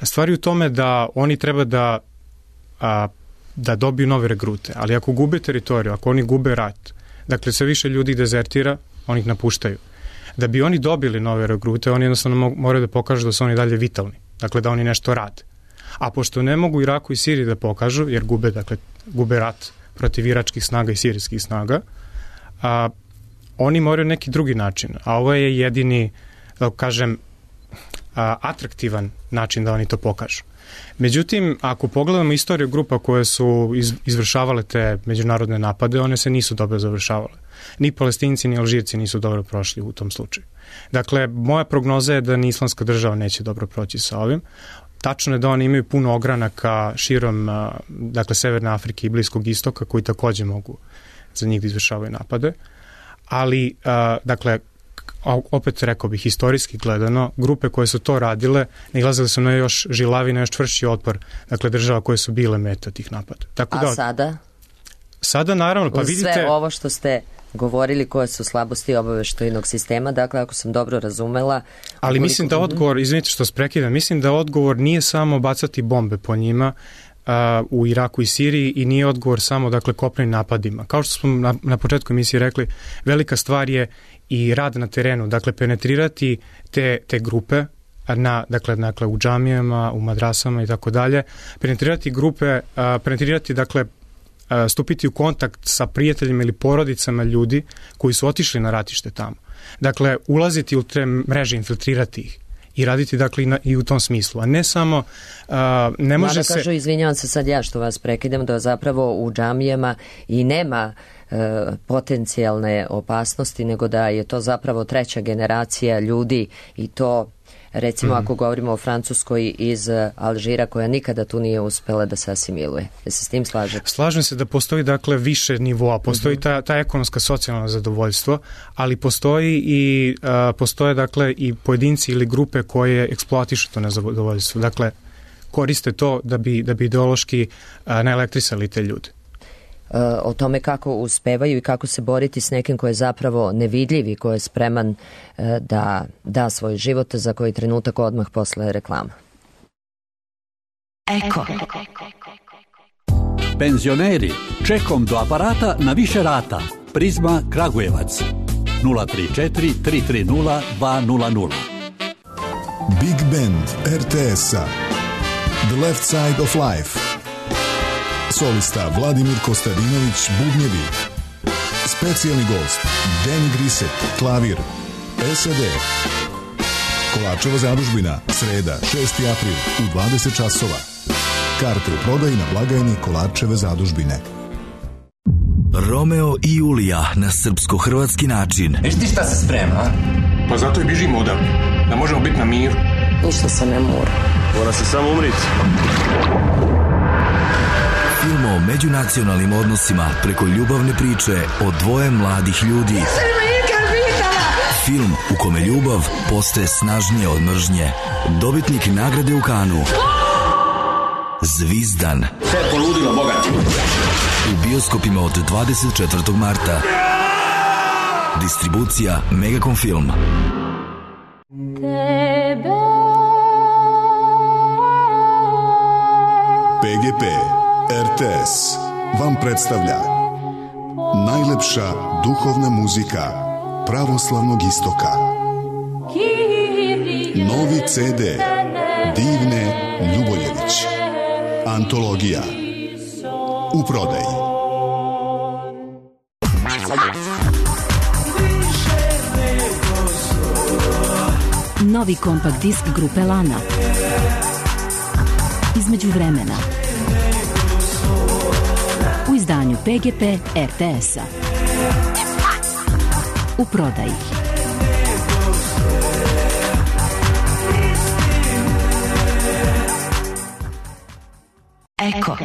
stvari u tome da oni treba da, a, da dobiju nove regrute, ali ako gube teritoriju, ako oni gube rat, dakle sve više ljudi dezertira, oni ih napuštaju. Da bi oni dobili nove regrute, oni jednostavno moraju da pokažu da su oni dalje vitalni, dakle da oni nešto rade. A pošto ne mogu Iraku i Siriji da pokažu, jer gube, dakle, gube rat protiv iračkih snaga i sirijskih snaga, a, oni moraju neki drugi način, a ovo je jedini, da kažem, atraktivan način da oni to pokažu. Međutim, ako pogledamo istoriju grupa koje su izvršavale te međunarodne napade, one se nisu dobro završavale. Ni Palestinci, ni Alžirci nisu dobro prošli u tom slučaju. Dakle, moja prognoza je da ni Islamska država neće dobro proći sa ovim. Tačno je da oni imaju puno ogranaka širom, dakle, Severne Afrike i Bliskog istoka, koji takođe mogu za njih da izvršavaju napade. Ali, dakle, opet rekao bih, historijski gledano, grupe koje su to radile nailazile su na još žilavi, na još čvršći otpor, dakle država koje su bile meta tih napada. Tako A da, sada? Sada naravno, pa Uz vidite... sve ovo što ste govorili koje su slabosti obaveštajnog sistema, dakle ako sam dobro razumela... Ali mislim da odgovor, izvinite što sprekidam, mislim da odgovor nije samo bacati bombe po njima uh, u Iraku i Siriji i nije odgovor samo, dakle, kopnenim napadima. Kao što smo na, na početku emisije rekli, velika stvar je i rad na terenu, dakle penetrirati te, te grupe na, dakle, dakle u džamijama, u madrasama i tako dalje, penetrirati grupe, a, penetrirati, dakle, a, stupiti u kontakt sa prijateljima ili porodicama ljudi koji su otišli na ratište tamo. Dakle, ulaziti u te mreže, infiltrirati ih i raditi, dakle, i, na, i u tom smislu, a ne samo a, ne može se... Mada kažu, izvinjavam se sad ja što vas prekidam, da zapravo u džamijama i nema potencijalne opasnosti, nego da je to zapravo treća generacija ljudi i to, recimo, mm. ako govorimo o Francuskoj iz Alžira, koja nikada tu nije uspela da se asimiluje. Da se s tim slažete? Slažem se da postoji, dakle, više nivoa. Postoji mm-hmm. ta, ta ekonomska socijalna zadovoljstvo, ali postoji i uh, postoje, dakle, i pojedinci ili grupe koje eksploatišu to nezadovoljstvo. Dakle, koriste to da bi, da bi ideološki uh, naelektrisali te ljude. O tome kako uspevaju i kako se boriti s nekim ko je zapravo nevidljiv i ko je spreman da da svoj život, za koji trenutak odmah posle reklama. Eko. Penzioneri, čekom do aparata na više rata. Prizma Kragujevac. nula tri četiri tri tri nula dva nula nula. Big Band R T S-a The Left Side of Life. Solista Vladimir Kostadinović, bubnjevi. Specijalni gost Danny Griset, klavir. S A D. Kolarčeva zadužbina, sreda, šesti april u dvadeset časova. Karte u prodaji na blagajni Kolarčeve zadužbine. Romeo i Julija na srpsko-hrvatski način. Viš ti šta se sprema, a? Pa zato i bižimo odavde, da možemo biti na miru. Ništa se ne mora. Mora se samo umriti. Film o međunacionalnim odnosima preko ljubavne priče o dvoje mladih ljudi. Film u kome ljubav postaje snažnije od mržnje. Dobitnik nagrade u Kanu. Zvizdan. Sve poludilo, bogati. U bioskopima od dvadeset četvrtog marta. Distribucija Megacom Film. P G P R T S vam predstavlja najlepša duhovna muzika pravoslavnog istoka. Novi C D Divne Ljuboljević. Antologija. U prodaji. Novi kompakt disk grupe Lana. Između vremena. U izdanju P G P R T S-a. U prodaji. Eko.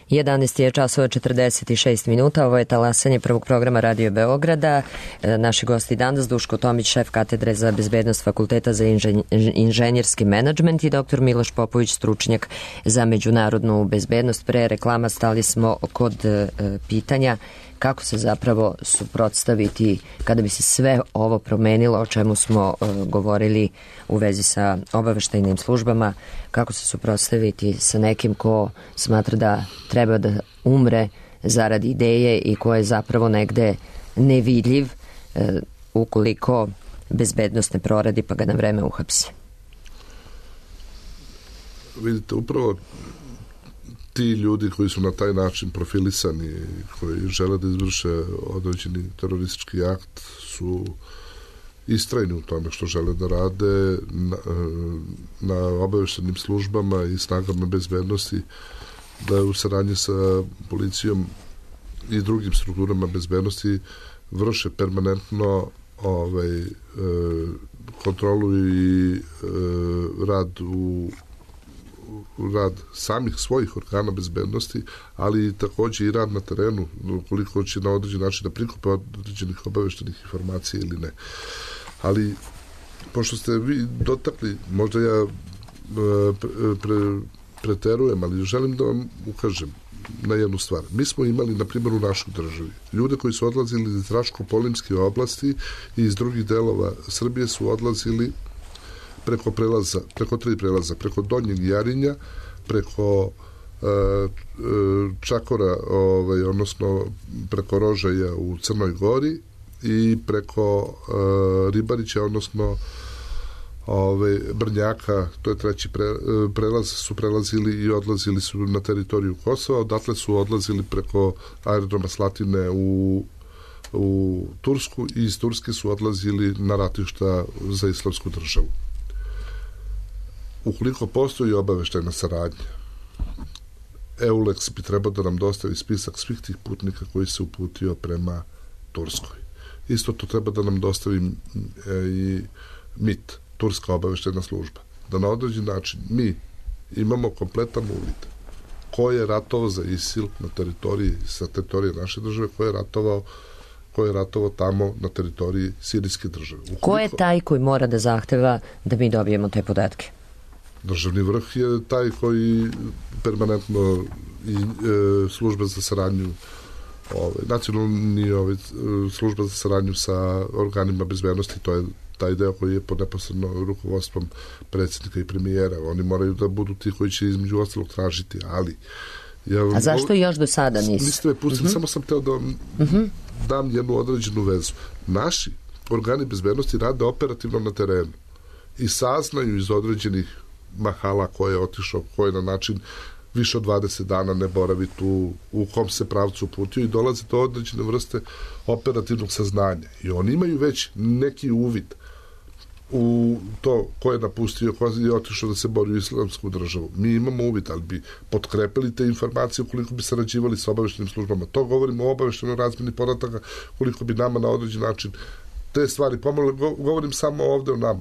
jedanaest je časova četrdeset šest minuta, ovo je talasanje prvog programa Radio Beograda. E, naši gosti danas Duško Tomić, šef katedre za bezbednost Fakulteta za inženj, inženjerski menadžment i doktor Miloš Popović, stručnjak za međunarodnu bezbednost. Pre reklama stali smo kod e, pitanja kako se zapravo suprotstaviti kada bi se sve ovo promenilo o čemu smo e, govorili u vezi sa obaveštajnim službama, kako se suprotstaviti sa nekim ko smatra da treba da umre zarad ideje i ko je zapravo negde nevidljiv e, ukoliko bezbednost ne proradi pa ga na vreme uhapsi. Vidite, upravo ti ljudi koji su na taj način profilisani, koji žele da izvrše određeni teroristički akt, su istrajni u tome što žele da rade na, na obaveštenim službama i snagama bezbednosti, da u saradnji sa policijom i drugim strukturama bezbednosti vrše permanentno ovaj, e, kontrolu i e, rad u rad samih svojih organa bezbednosti, ali takođe i rad na terenu, koliko će na određen način da prikupe određenih obaveštenih informacija ili ne. Ali, pošto ste vi dotakli, možda ja pre, pre, preterujem, ali želim da vam ukažem na jednu stvar. Mi smo imali, na primjer, u našoj državi ljude koji su odlazili iz Raško-Polimske oblasti i iz drugih delova Srbije su odlazili preko prelaza, preko tri prelaza, preko Donjeg Jarinja, preko e, Čakora, ovaj, odnosno preko Rožaja u Crnoj Gori i preko e, Ribarića, odnosno ove, Brnjaka, to je treći pre, prelaz, su prelazili i odlazili su na teritoriju Kosova, odatle su odlazili preko aerodroma Slatine u, u Tursku i iz Turske su odlazili na ratišta za islamsku državu. Ukoliko postoji obaveštajna saradnja, EULEX bi trebao da nam dostavi spisak svih tih putnika koji se uputio prema Turskoj. Isto to treba da nam dostavi e, i M I T, Turska obaveštajna služba. Da na određen način mi imamo kompletan uvid ko je ratovao za ISIL na teritoriji, sa teritorije naše države, ko je ratovao ko je ratovao tamo na teritoriji sirijske države. Ukoliko, ko je taj koji mora da zahteva da mi dobijemo te podatke? Državni vrh je taj koji permanentno i e, služba za saradnju ovaj, nacionalni ovaj, služba za saradnju sa organima bezbednosti, to je taj deo koji je pod neposredno rukovodstvom predsjednika i premijera. Oni moraju da budu ti koji će između ostalog tražiti, ali... Ja, A zašto još do sada nisu? Niste me pustili, uh-huh. samo sam teo da vam uh-huh. dam jednu određenu vezu. Naši organi bezbednosti rade operativno na terenu i saznaju iz određenih mahala ko je otišao, ko je na način više od dvadeset dana ne boravi tu, u kom se pravcu putio i dolaze do određene vrste operativnog saznanja. I oni imaju već neki uvid u to ko je napustio, ko je otišao da se bori u islamsku državu. Mi imamo uvid, ali bi potkrepili te informacije koliko bi sarađivali sa obaveštenim službama. To govorimo o obaveštenoj razmjeni podataka, koliko bi nama na određen način te stvari pomogli. Govorim samo ovde o nama.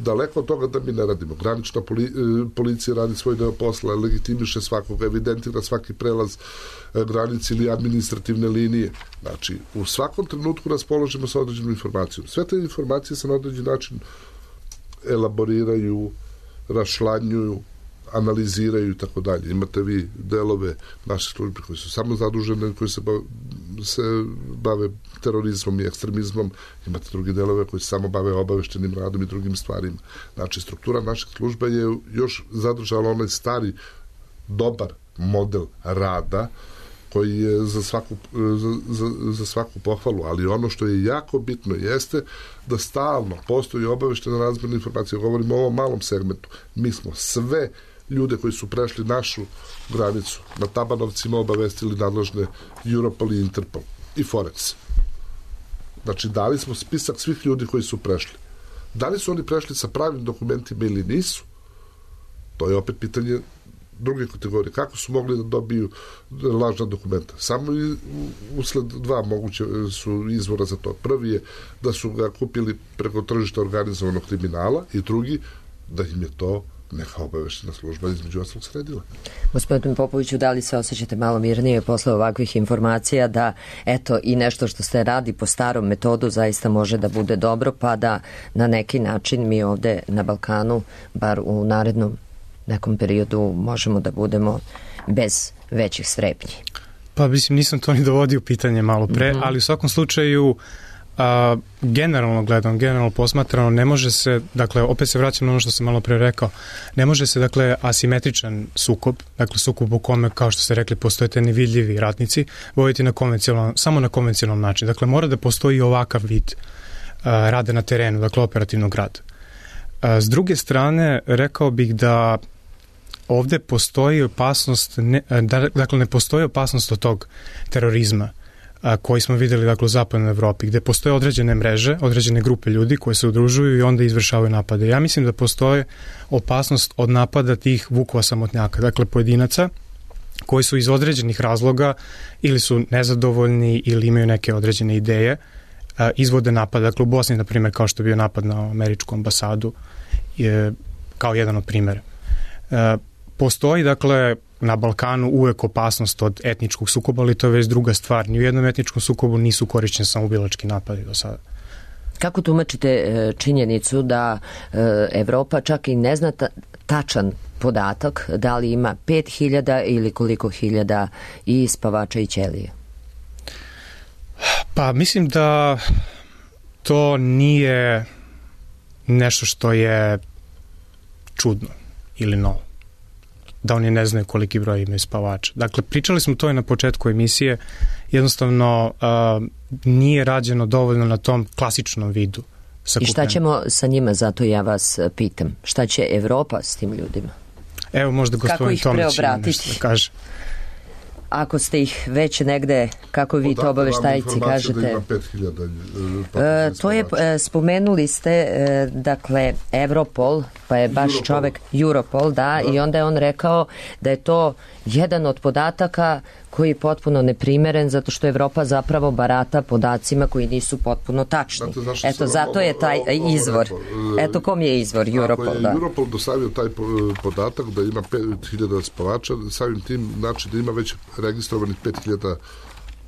Daleko od toga da mi ne radimo. Granična poli, policija radi svoj deo posla, legitimiše svakoga, evidentira svaki prelaz granice ili administrativne linije. Znači, u svakom trenutku raspoložimo sa određenom informacijom. Sve te informacije se na određen način elaboriraju, rašlanjuju, analiziraju i tako dalje. Imate vi delove naše službe koji su samo zadužene, koji se bave, se bave terorizmom i ekstremizmom. Imate drugi delove koji se samo bave obaveštenim radom i drugim stvarima. Znači, struktura naših služba je još zadržala onaj stari, dobar model rada koji je za svaku, za, za, za svaku pohvalu, ali ono što je jako bitno jeste da stalno postoji obaveštena razmjena informacija. Govorimo o ovom malom segmentu. Mi smo sve ljude koji su prešli našu granicu na Tabanovcima obavestili nadležne Europol i Interpol i Forex. Znači, dali smo spisak svih ljudi koji su prešli. Da li su oni prešli sa pravim dokumentima ili nisu? To je opet pitanje druge kategorije. Kako su mogli da dobiju lažna dokumenta? Samo usled dva moguće su izvora za to. Prvi je da su ga kupili preko tržišta organizovanog kriminala i drugi da im je to neka obaveštena služba između ostalog sredila. Gospodin Popoviću, da li se osjećate malo mirnije posle ovakvih informacija da eto i nešto što se radi po starom metodu zaista može da bude dobro, pa da na neki način mi ovde na Balkanu, bar u narednom nekom periodu, možemo da budemo bez većih strepnji? Pa mislim, nisam to ni dovodio pitanje malo pre, mm-hmm. ali u svakom slučaju a, generalno gledam, generalno posmatrano, ne može se, dakle, opet se vraćam na ono što sam malo pre rekao, ne može se, dakle, asimetričan sukob, dakle, sukob u kome, kao što ste rekli, postoje te nevidljivi ratnici, voditi na konvencionalnom, samo na konvencionalnom način. Dakle, mora da postoji ovakav vid a, rada na terenu, dakle, operativnog rada. A, s druge strane, rekao bih da ovde postoji opasnost, ne, da, dakle, ne postoji opasnost od tog terorizma a, koji smo videli, dakle, u zapadnoj Evropi, gde postoje određene mreže, određene grupe ljudi koje se udružuju i onda izvršavaju napade. Ja mislim da postoje opasnost od napada tih vukova samotnjaka, dakle, pojedinaca koji su iz određenih razloga ili su nezadovoljni ili imaju neke određene ideje, a, izvode napad. Dakle, u Bosni, na primjer, kao što je bio napad na američku ambasadu, je, kao jedan od primjera. A, Postoji, dakle, na Balkanu uvek opasnost od etničkog sukoba, ali to je već druga stvar. Ni u jednom etničkom sukobu nisu korišćeni samoubilački napadi do sada. Kako tumačite činjenicu da Evropa čak i ne zna tačan podatak da li ima pet hiljada ili koliko hiljada i spavača i ćelije? Pa mislim da to nije nešto što je čudno ili novo, da oni ne znaju koliki broj imaju spavača. Dakle, pričali smo to i na početku emisije, jednostavno uh, nije rađeno dovoljno na tom klasičnom vidu sakupljanja. I šta ćemo sa njima, zato ja vas pitam, šta će Evropa s tim ljudima? Evo, možda gospodin Tomić ima nešto da kaže. Ako ste ih već negde, kako vi to obaveštajci kažete? Da ima pet hiljada e, to je, e, spomenuli ste, e, dakle, Europol, pa je baš Europol. čovek, Europol, da, da, i onda je on rekao da je to jedan od podataka koji je potpuno neprimeren, zato što Evropa zapravo barata podacima koji nisu potpuno tačni. Znate, Eto, zato ovo, je taj ovo, ovo, izvor. Ovo, Eto, kom je izvor? Europol, ako je da. Europol dostavio taj podatak da ima pet hiljada spavača, samim tim znači da ima već registrovanih pet hiljada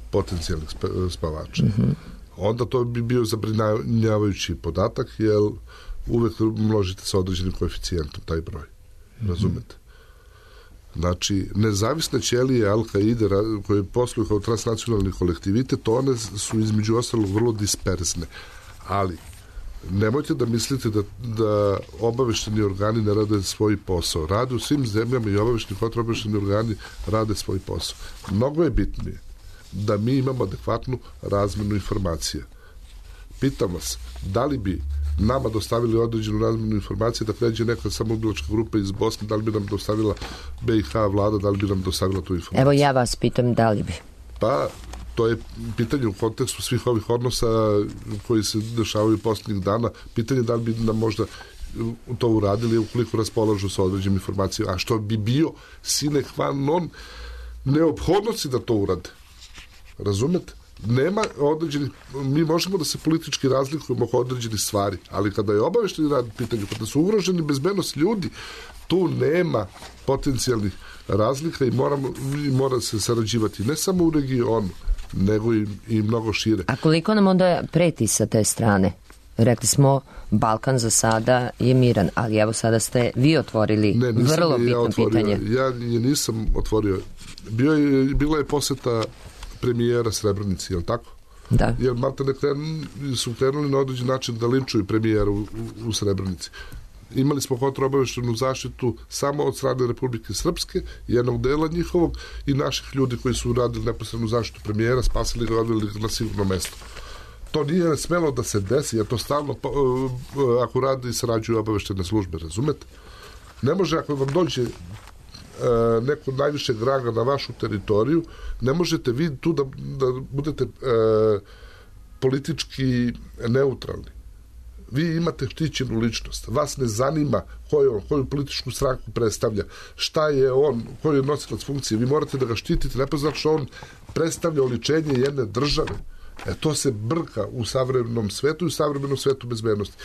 potencijalnih spavača. Mm-hmm. Onda to bi bio zabrinjavajući podatak, jer uvek množite sa određenim koeficijentom taj broj. Mm-hmm. Razumete? Znači, nezavisne ćelije Al-Qaide koje posluju kao transnacionalni kolektivitet, one su između ostalog vrlo disperzne. Ali, nemojte da mislite da, da obavešteni organi ne rade svoj posao. Rade u svim zemljama i obavešteni kontraobavešteni organi rade svoj posao. Mnogo je bitnije da mi imamo adekvatnu razmenu informacija. Pitam vas, da li bi nama dostavili određenu razmenu informacije da pređe neka samoubilačka grupa iz Bosne, da li bi nam dostavila B i H vlada, da li bi nam dostavila tu informaciju? Evo ja vas pitam da li bi. Pa, to je pitanje u kontekstu svih ovih odnosa koji se dešavaju posljednjih dana. Pitanje da li bi nam možda to uradili ukoliko raspolažu sa određenim informacijama. A što bi bio sine qua non neophodnosti da to urade. Razumete? Nema određenih, mi možemo da se politički razlikujemo oko određenih stvari, ali kada je obavešteni rad pitanju, kada su ugroženi bezbednost ljudi, tu nema potencijalnih razlika i, moramo, i mora se sarađivati ne samo u regionu, nego i, i mnogo šire. A koliko nam onda preti sa te strane? Rekli smo, Balkan za sada je miran, ali evo sada ste vi otvorili ne, vrlo bitno ja otvorio, pitanje. Ja je nisam otvorio. Bio je, bila je poseta premijera Srebrenici, je li tako? Da. Jer Malta ne kren, su krenuli na određen način da linčuju premijera u, u, u Srebrenici. Imali smo kontraobaveštenu zaštitu samo od strane Republike Srpske, jednog dela njihovog i naših ljudi koji su radili neposrednu zaštitu premijera, spasili ga i odveli ga na sigurno mesto. To nije smelo da se desi, jer to stalno ako radi i sarađuju obaveštene službe, razumete? Ne može ako vam dođe neko najvišeg ranga na vašu teritoriju, ne možete vi tu da, da budete e, politički neutralni. Vi imate štićenu ličnost. Vas ne zanima koju on, koju političku stranku predstavlja, šta je on, koji je nosilac funkcije. Vi morate da ga štitite, ne pa znači što on predstavlja oličenje jedne države. E to se brka u savremenom svetu i u savremenom svetu bezbednosti.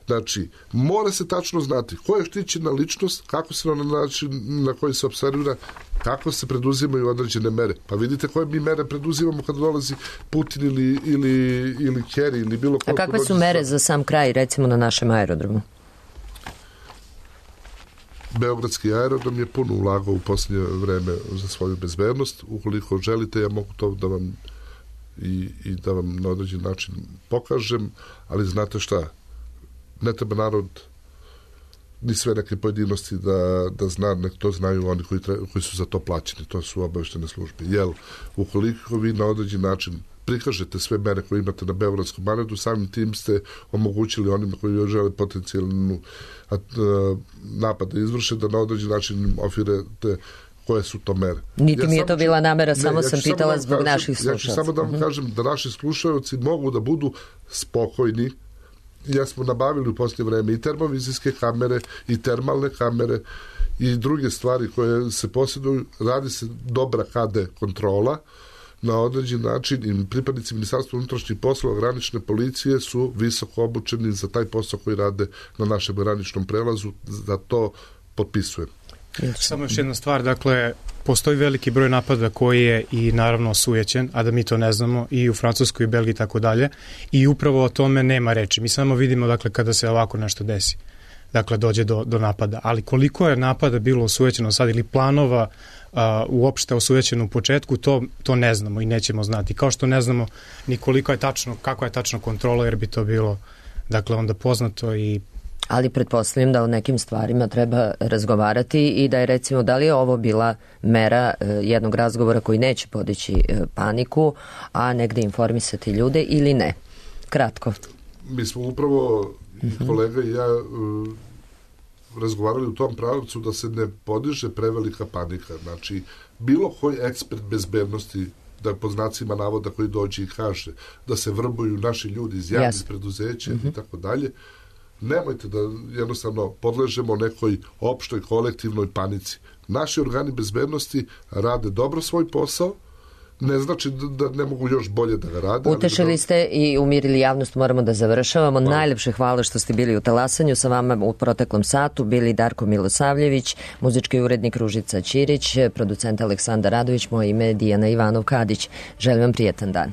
Znači, mora se tačno znati ko je štićena ličnost, kako se na način na koji se observira, kako se preduzimaju određene mere. Pa vidite koje mi mere preduzimamo kada dolazi Putin ili, ili, ili Kerry ili bilo ko. A kakve su mere za sam kraj, recimo na našem aerodromu? Beogradski aerodrom je puno ulagao u posljednje vreme za svoju bezbednost. Ukoliko želite, ja mogu to da vam i, i da vam na određen način pokažem, ali znate šta? Ne treba narod ni sve neke pojedinosti da, da zna, nek to znaju oni koji, tre, koji su za to plaćeni, to su obaveštene službe. Jel, ukoliko vi na određen način prikažete sve mere koje imate na Beogradskom aerodromu, samim tim ste omogućili onima koji još žele potencijalnu napad da izvrše, da na određen način ofirete koje su to mere. Niti ja mi je to bila namera, ne, samo ja sam pitala da zbog kažem, naših slušalca. Ja ću samo da vam uh-huh. kažem da naši slušalci mogu da budu spokojni. Ja smo nabavili u posljednje vreme i termovizijske kamere i termalne kamere i druge stvari koje se posjeduju. Radi se dobra K D kontrola na određen način i pripadnici Ministarstva unutrašnjih poslova, granične policije su visoko obučeni za taj posao koji rade na našem graničnom prelazu, da to potpisujem. Samo još jedna stvar, dakle, postoji veliki broj napada koji je i naravno osujećen, a da mi to ne znamo, i u Francuskoj i Belgiji i tako dalje, i upravo o tome nema reči. Mi samo vidimo, dakle, kada se ovako nešto desi, dakle, dođe do, do napada. Ali koliko je napada bilo osujećeno sad ili planova uh, uopšte osujećeno u početku, to, to ne znamo i nećemo znati. Kao što ne znamo ni koliko je tačno, kako je tačno kontrola, jer bi to bilo, dakle, onda poznato i ali pretpostavljam da o nekim stvarima treba razgovarati i da je recimo da li je ovo bila mera e, jednog razgovora koji neće podići e, paniku, a negde informisati ljude ili ne. Kratko. Mi smo upravo uh-huh. kolega i ja e, razgovarali u tom pravcu da se ne podiže prevelika panika. Znači, bilo koji ekspert bezbednosti, da pod znacima navoda koji dođe i kaže da se vrbuju naši ljudi iz javnih yes. preduzeća uh-huh. i tako dalje, nemojte da jednostavno podležemo nekoj opštoj kolektivnoj panici. Naši organi bezbednosti rade dobro svoj posao, ne znači da, da ne mogu još bolje da ga rade. Utešili da... ste i umirili javnost, moramo da završavamo. Hvala. Najlepše hvala što ste bili u Talasanju. Sa vama u proteklom satu bili Darko Milosavljević, muzički urednik Ružica Ćirić, producent Aleksandar Radović, moje ime je Dijana Ivanov Kadić. Želim vam prijetan dan.